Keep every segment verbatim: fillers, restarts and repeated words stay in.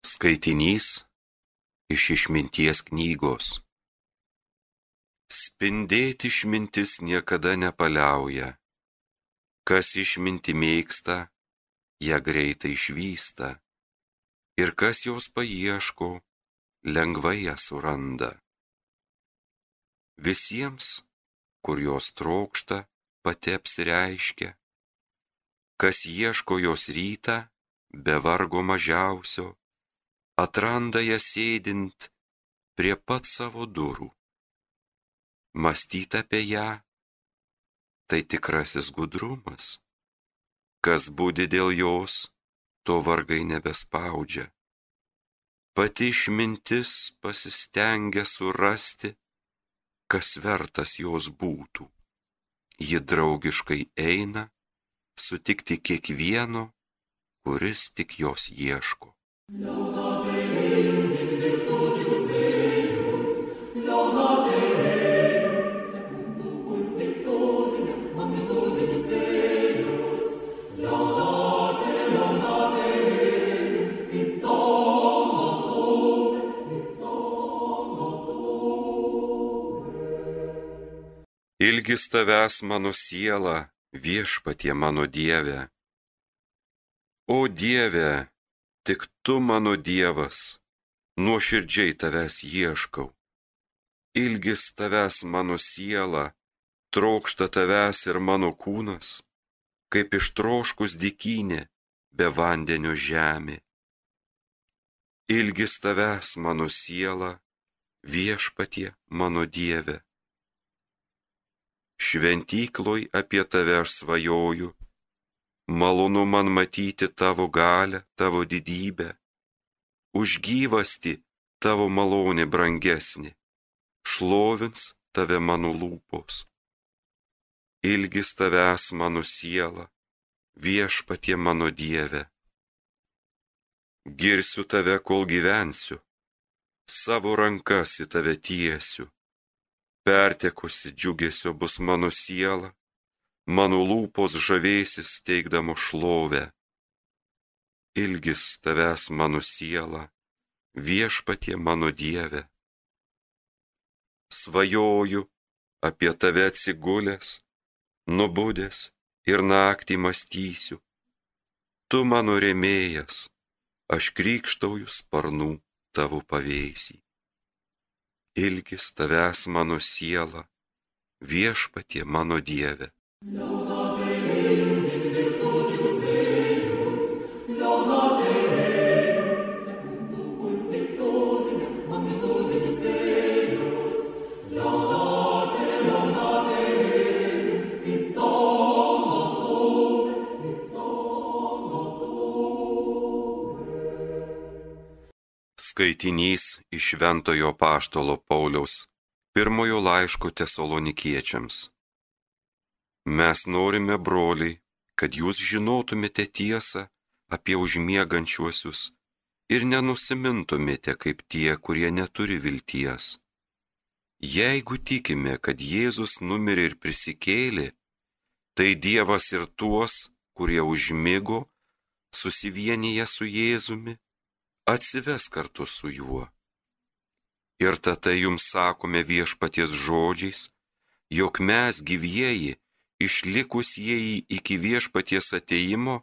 Skaitinys iš Išminties knygos. Spindėti išmintis niekada nepaliauja. Kas išmintį mėgsta, ją greitai išvysta. Ir kas jos paieško, lengvai ją suranda. Visiems, kur jos trokšta, pati apsireiškia. Kas ieško jos rytą, be vargo mažiausio, atranda ją sėdint prie pat savo durų. Mąstyt apie ją, tai tikrasis gudrumas. Kas budi dėl jos, to vargai nebespaudžia. Pati išmintis pasistengia surasti, kas vertas jos būtų. Ji draugiškai eina, sutikti kiekvieno, kuris tik jos ieško. Ilgis tavęs mano siela, viešpatie mano Dieve. O Dieve, tik tu mano Dievas, nuoširdžiai tavęs ieškau. Ilgis tavęs mano siela, trokšta tavęs ir mano kūnas, kaip ištroškus dykynė, be vandenio žemė. Ilgis tavęs mano siela, viešpatie mano Dieve. Šventykloj apie tave aš svajoju, malonu man matyti tavo galią, tavo didybę, už gyvastį tavo malonė brangesnė, šlovins tave mano lūpos. Ilgis tavęs mano siela, viešpatie mano Dieve. Girsiu tave, kol gyvensiu, savo rankas į tave tiesiu. Pertekusi džiugesio bus mano siela, mano lūpos žavėsis teikdamo šlovę. Ilgis tavęs mano siela, viešpatie mano Dieve. Svajoju apie tave atsigulęs, nubudęs ir naktį mąstysiu. Tu mano rėmėjas, aš krykštauju sparnų tavo pavėsį. Ilgis tavęs mano siela, viešpatie mano Dieve. Skaitinys iš Šventojo Apaštalo Pauliaus pirmojo laiško Tesalonikiečiams. Mes norime, broliai, kad jūs žinotumėte tiesą apie užmiegančiuosius ir nenusimintumėte kaip tie, kurie neturi vilties. Jeigu tikime, kad Jėzus numirė ir prisikėlė, tai Dievas ir tuos, kurie užmigo, susivienyje su Jėzumi, atsives kartu su juo. Ir tada jums sakome viešpaties žodžiais, jog mes gyvieji, išlikusieji iki viešpaties atėjimo,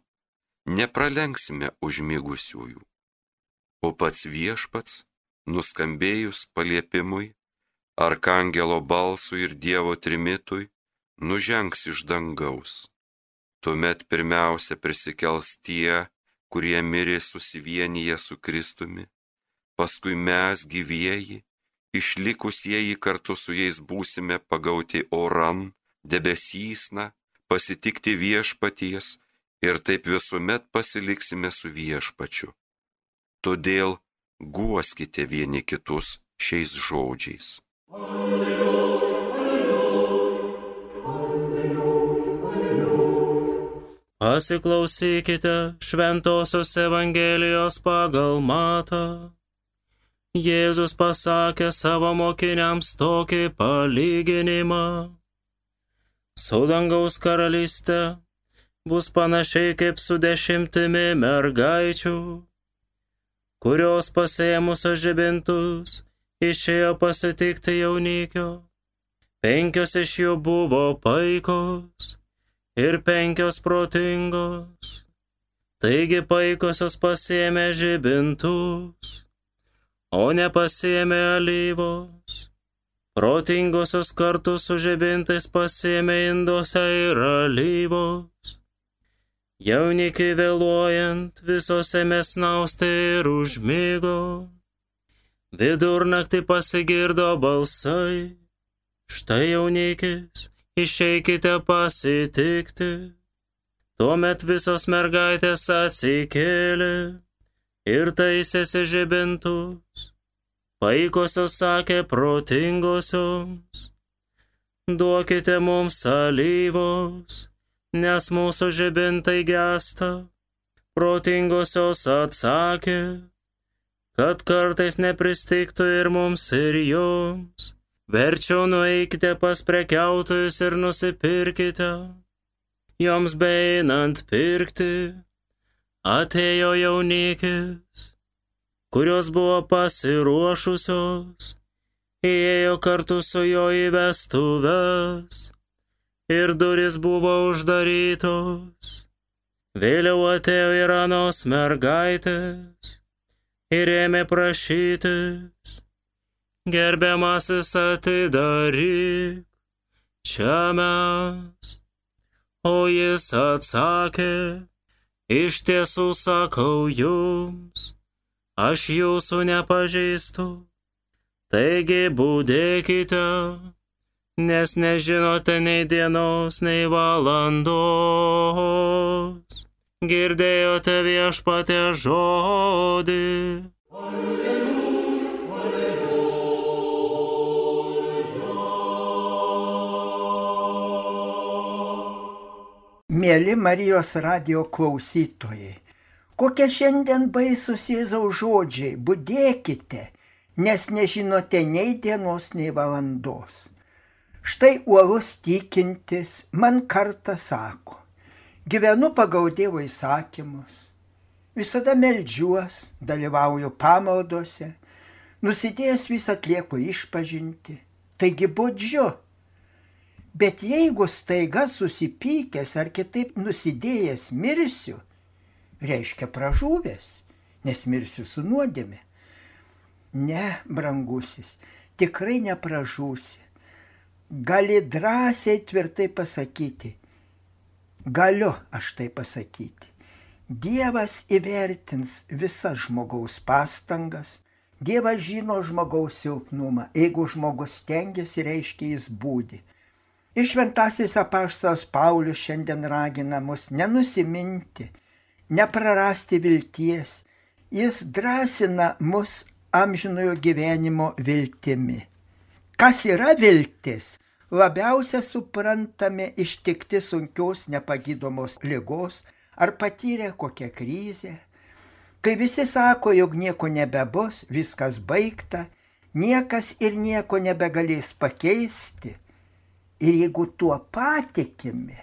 nepralenksime užmigusiųjų. O pats viešpats, nuskambėjus paliepimui, arkangelo balsui ir Dievo trimitui, nužengs iš dangaus. Tuomet pirmiausia prisikels tie, kurie mirė susivienyje su Kristumi, paskui mes gyvieji, išlikusieji kartu su jais būsime pagauti oran, debesysna, pasitikti viešpaties ir taip visuomet pasiliksime su viešpačiu. Todėl guoskite vieni kitus šiais žodžiais. Alleluja. Pasiklausykite Šventosios Evangelijos pagal Matą. Jėzus pasakė savo mokiniams tokį palyginimą. Su dangaus karalystė bus panašiai kaip su dešimtimi mergaičių, kurios pasėmusios žibintus išėjo pasitikti jaunikio. Penkios iš jų buvo paikos ir penkios protingos. Taigi paikosios pasėmė žibintus, o nepasėmė alyvos. Protingosios kartu su žibintais pasėmė induose ir alyvos. Jaunikiai vėluojant visos ėmė snausti ir užmigo. Vidurnaktį pasigirdo balsai. Štai jaunikis, išeikite pasitikti. Tuomet visos mergaitės atsikėlė ir taisėsi žibintus. Paikosios sakė protingosioms: duokite mums alyvos, nes mūsų žibintai gęsta. Protingosios atsakė, kad kartais nepristigtų ir mums ir joms. Verčiau nueikite pas prekiautojus ir nusipirkite. Joms beeinant pirkti, atėjo jaunikis, kurios buvo pasiruošusios, įėjo kartu su jo į vestuves ir durys buvo uždarytos. Vėliau atėjo ir anos mergaitės ir ėmė prašytis: gerbiamasis, atidaryk, čia mes. O jis atsakė: iš tiesų sakau jums, aš jūsų nepažįstu. Taigi budėkite, nes nežinote nei dienos, nei valandos. Girdėjote viešpatie žodį. Mėly Marijos radijo klausytojai, kokie šiandien baisus Jėzaus žodžiai: budėkite, nes nežinote nei dienos, nei valandos. Štai uolus tikintis man kartą sako: gyvenu pagal Dievo įsakymus, visada meldžiuos, dalyvauju pamaldose, nusidėjęs vis atlieku išpažintį, taigi budžiu. Bet jeigu staiga susipykęs ar kitaip nusidėjęs mirsiu, reiškia pražuvęs, nes mirsiu su nuodėme. Ne, brangusis, tikrai nepražūsi. Gali drąsiai tvirtai pasakyti: galiu aš tai pasakyti. Dievas įvertins visas žmogaus pastangas, Dievas žino žmogaus silpnumą. Jeigu žmogus stengiasi, reiškia jis būdi. Ir šventasis apaštalas Paulius šiandien ragina mus nenusiminti, neprarasti vilties. Jis drąsina mus amžinojo gyvenimo viltimi. Kas yra viltis? Labiausia suprantame ištikti sunkios nepagydomos ligos ar patyrę kokią krizę. Kai visi sako, jog nieko nebebus, viskas baigta, niekas ir nieko nebegalės pakeisti. Ir jeigu tuo patikime,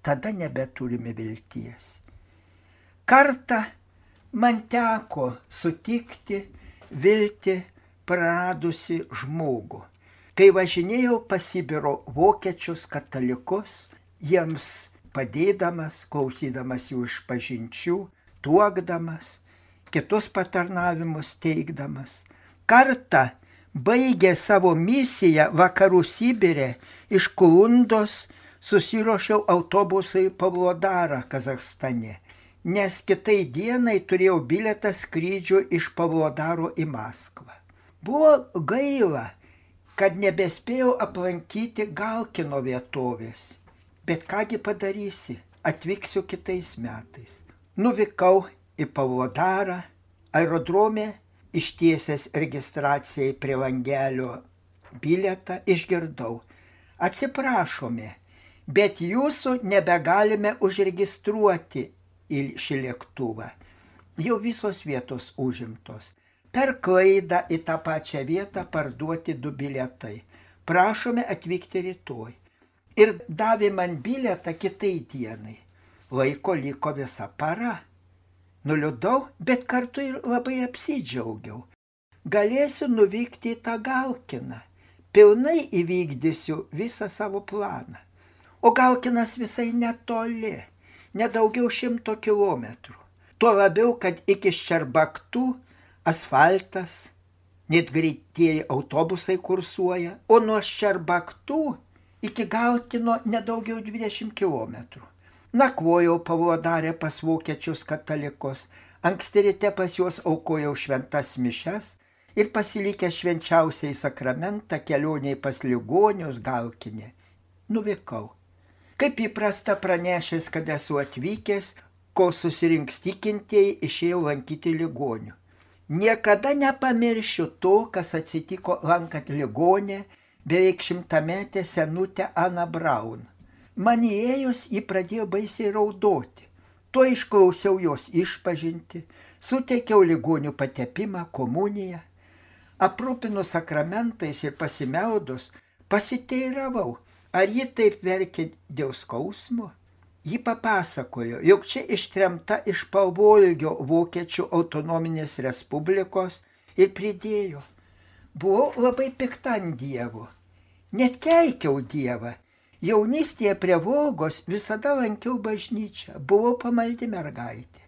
tada nebeturime vilties. Kartą man teko sutikti viltį praradusi žmogų. Kai važinėjau pas Sibiro vokiečius katalikus, jiems padėdamas, klausydamas jų išpažinčių, tuokdamas, kitus patarnavimus teikdamas. Kartą baigė savo misiją vakarų Sibire, iš Kulundos susiruošiau autobusą į Pavlodarą, Kazachstane, nes kitai dienai turėjau bilietą skrydžių iš Pavlodaro į Maskvą. Buvo gaila, kad nebespėjau aplankyti Galkino vietovės, bet kągi padarysi, atvyksiu kitais metais. Nuvykau į Pavlodarą, aerodrome ištiesęs registracijai prie langelio bilietą išgirdau: atsiprašome, bet jūsų nebegalime užregistruoti į šį lėktuvą. Jau visos vietos užimtos. Per klaidą į tą pačią vietą parduoti du bilietai. Prašome atvykti rytoj. Ir davė man bilietą kitai dienai. Laiko liko visa para. Nuliūdau, bet kartu ir labai apsidžiaugiau. Galėsiu nuvykti į tą Galkiną. Pilnai įvykdysiu visą savo planą. O Galkinas visai netoli, nedaugiau šimto kilometrų. Tuo labiau, kad iki Ščerbaktų asfaltas, net greitieji autobusai kursuoja, o nuo Ščerbaktų iki Galkino nedaugiau dvidešimt kilometrų. Nakvojau Pavlodare pas vokiečius katalikus, anksti ryte pas juos aukojau šventas mišes ir pasilikęs švenčiausiai sakramentą kelioniai pas ligonius Galkinė. Nuvykau. Kaip įprasta pranešęs, kad esu atvykęs, kol susirinks tikintieji, išėjau lankyti ligonių. Niekada nepamiršiu to, kas atsitiko lankant ligonę beveik šimtametę senutę Aną Braun. Man įėjus, ji pradėjo baisiai raudoti. Tuo išklausiau jos išpažinti, suteikiau ligonių patepimą, komuniją. Aprūpinus sakramentais ir pasimeldus, pasiteiravau, ar ji taip verkė dėl skausmo. Ji papasakojo, jog čia ištremta iš Pavolgio Vokiečių autonominės respublikos ir pridėjo. Buvau labai pikta ant Dievo. Net keikiau Dievą. Jaunystėje prie Volgos visada lankiau bažnyčią, buvau pamaldi mergaitė.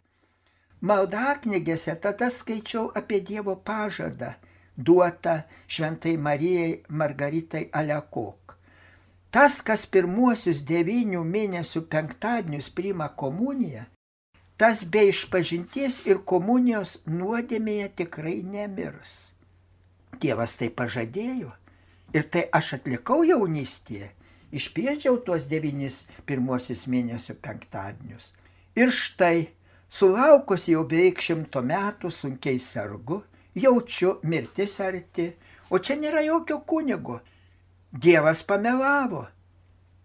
Maldaknygėse tada skaičiau apie Dievo pažadą, duotą šventai Marijai Margaritai Alekok. Tas, kas pirmuosius devynių mėnesių penktadienius priima komuniją, tas be išpažinties ir komunijos nuodėmėje tikrai nemirs. Dievas tai pažadėjo ir tai aš atlikau jaunystėje. Išpiečiau tuos devynis pirmuosius mėnesių penktadienius. Ir štai, sulaukus jau beveik šimto metų sunkiai sergu, jaučiu mirtis arti, o čia nėra jokio kunigo. Dievas pamelavo.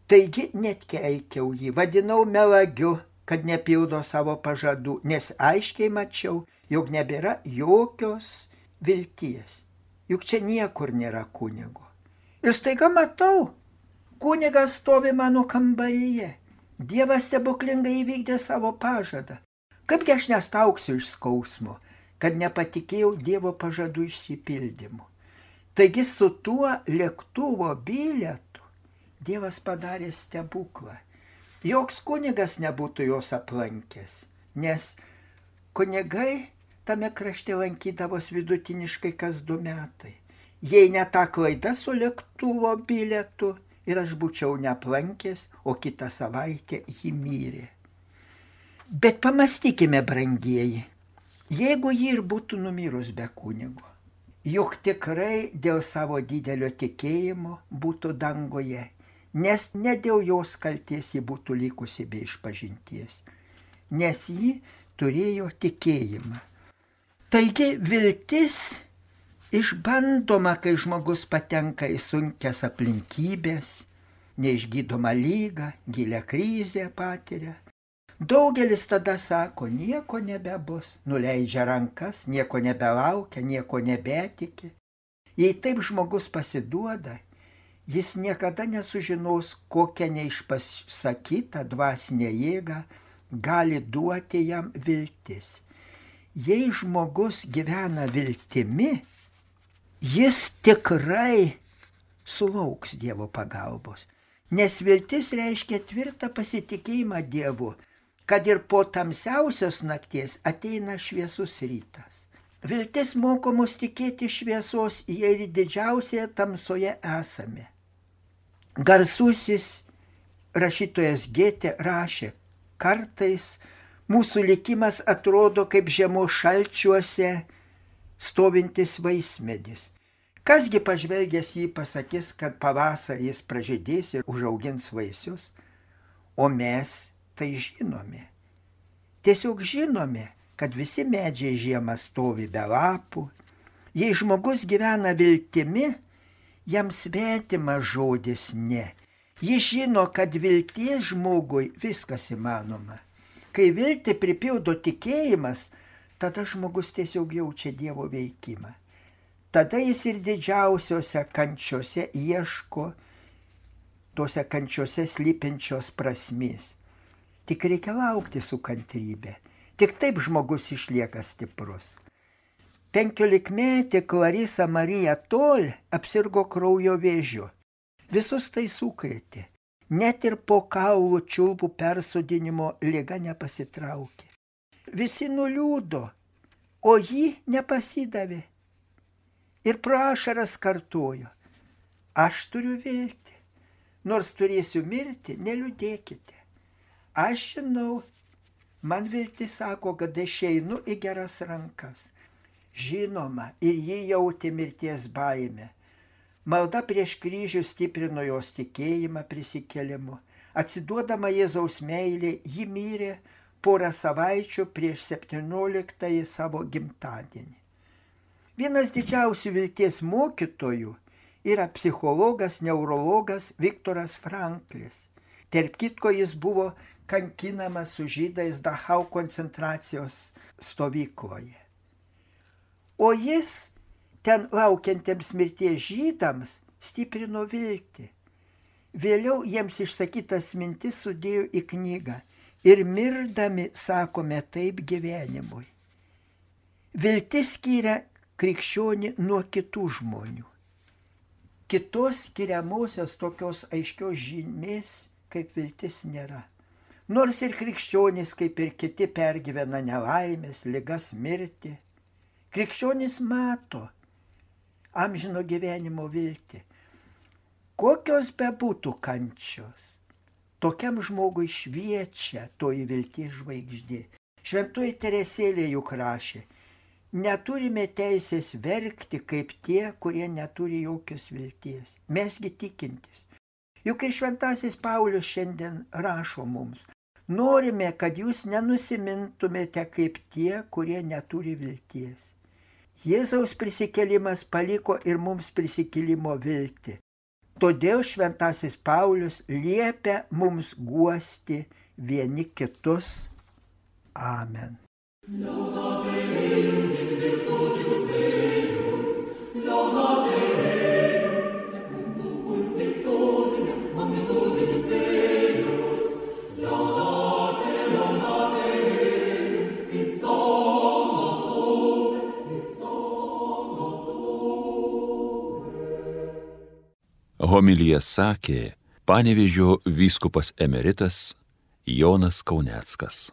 Taigi net keikiau jį, vadinau melagiu, kad nepildo savo pažadų, nes aiškiai mačiau, jog nebėra jokios vilties. Juk čia niekur nėra kunigo. Ir staiga matau, kunigas stovi mano kambaryje. Dievas stebuklingai įvykdė savo pažadą. Kaipgi aš nestauksiu iš skausmo, kad nepatikėjau Dievo pažadų išsipildymu. Taigi su tuo lėktuvo bilietu Dievas padarė stebuklą. Joks kunigas nebūtų jos aplankęs, nes kunigai tame krašte lankydavos vidutiniškai kas du metai. Jei ne ta klaida su lėktuvo bilietu, ir aš būčiau neaplankęs, o kitą savaitę jį mirė. Bet pamastykime, brangieji, jeigu ji ir būtų numirus be kunigo, juk tikrai dėl savo didelio tikėjimo būtų dangoje, nes ne dėl jos kalties ji būtų likusi be išpažinties, nes ji turėjo tikėjimą. Taigi viltis išbandoma, kai žmogus patenka į sunkias aplinkybės, neišgydomą lygą, gilią krizę patiria. Daugelis tada sako, nieko nebebus, nuleidžia rankas, nieko nebelaukia, nieko nebetiki. Jei taip žmogus pasiduoda, jis niekada nesužinos, kokią neišpasakytą dvasinę jėgą gali duoti jam viltis. Jei žmogus gyvena viltimi, jis tikrai sulauks Dievo pagalbos, nes viltis reiškia tvirtą pasitikėjimą Dievu, kad ir po tamsiausios nakties ateina šviesus rytas. Viltis moko mus tikėti šviesos, jei ir didžiausioje tamsoje esame. Garsusis rašytojas Gėtė rašė, kartais mūsų likimas atrodo kaip žiemos šalčiuose stovintis vaismedis. Kasgi pažvelgęs jį pasakys, kad pavasarį jis pražydės ir užaugins vaisius, o mes tai žinome. Tiesiog žinome, kad visi medžiai žiemą stovi be lapų. Jei žmogus gyvena viltimi, jam svetimas žodis ne. Jis žino, kad vilties žmogui viskas įmanoma. Kai viltį pripildo tikėjimas, tada žmogus tiesiog jaučia Dievo veikimą. Tada jis ir didžiausiose kančiose ieško tose kančiose slypinčios prasmės. Tik reikia laukti su kantrybė, Tik taip žmogus išlieka stiprus. Penkiolikmetė Clarisa Marija Tol apsirgo kraujo vėžiu. Visus tai sukrėtė. Net ir po kaulų čiulpų persodinimo liga nepasitraukė. Visi nuliūdo, o ji nepasidavė. Ir pro ašaras kartojo: aš turiu viltį, nors turėsiu mirti, neliūdėkite. Aš žinau, man viltis sako, kad aš einu į geras rankas. Žinoma, ir ji jautė mirties baimę. Malda prieš kryžių stiprino jos tikėjimą prisikėlimu. Atsiduodama Jėzaus meilė, ji mirė porą savaičių prieš septynioliktąjį savo gimtadienį. Vienas didžiausių vilties mokytojų yra psichologas, neurologas Viktoras Franklis. Tarp kitko, jis buvo kankinamas su žydais Dachau koncentracijos stovykloje. O jis ten laukiantiems mirties žydams stiprino viltį. Vėliau jiems išsakytas mintis sudėjo į knygą ir mirdami sakome taip gyvenimui. Viltis skiria krikščionį nuo kitų žmonių. Kitos skiriamosios tokios aiškios žymės kaip viltis nėra. Nors ir krikščionys kaip ir kiti pergyvena nelaimės, ligas, mirtį, krikščionys mato amžino gyvenimo viltį. Kokios bebūtų kančios, tokiam žmogui šviečia toji vilties žvaigždė. Šventoji Teresėlė juk rašė: neturime teisės verkti kaip tie, kurie neturi jokios vilties. Mesgi tikintis. Juk ir šventasis Paulius šiandien rašo mums: norime, kad jūs nenusimintumėte kaip tie, kurie neturi vilties. Jėzaus prisikėlimas paliko ir mums prisikėlimo viltį. Todėl šventasis Paulius liepia mums guosti vieni kitus. Amen. Homiliją sakė Panevėžio vyskupas emeritas Jonas Kauneckas.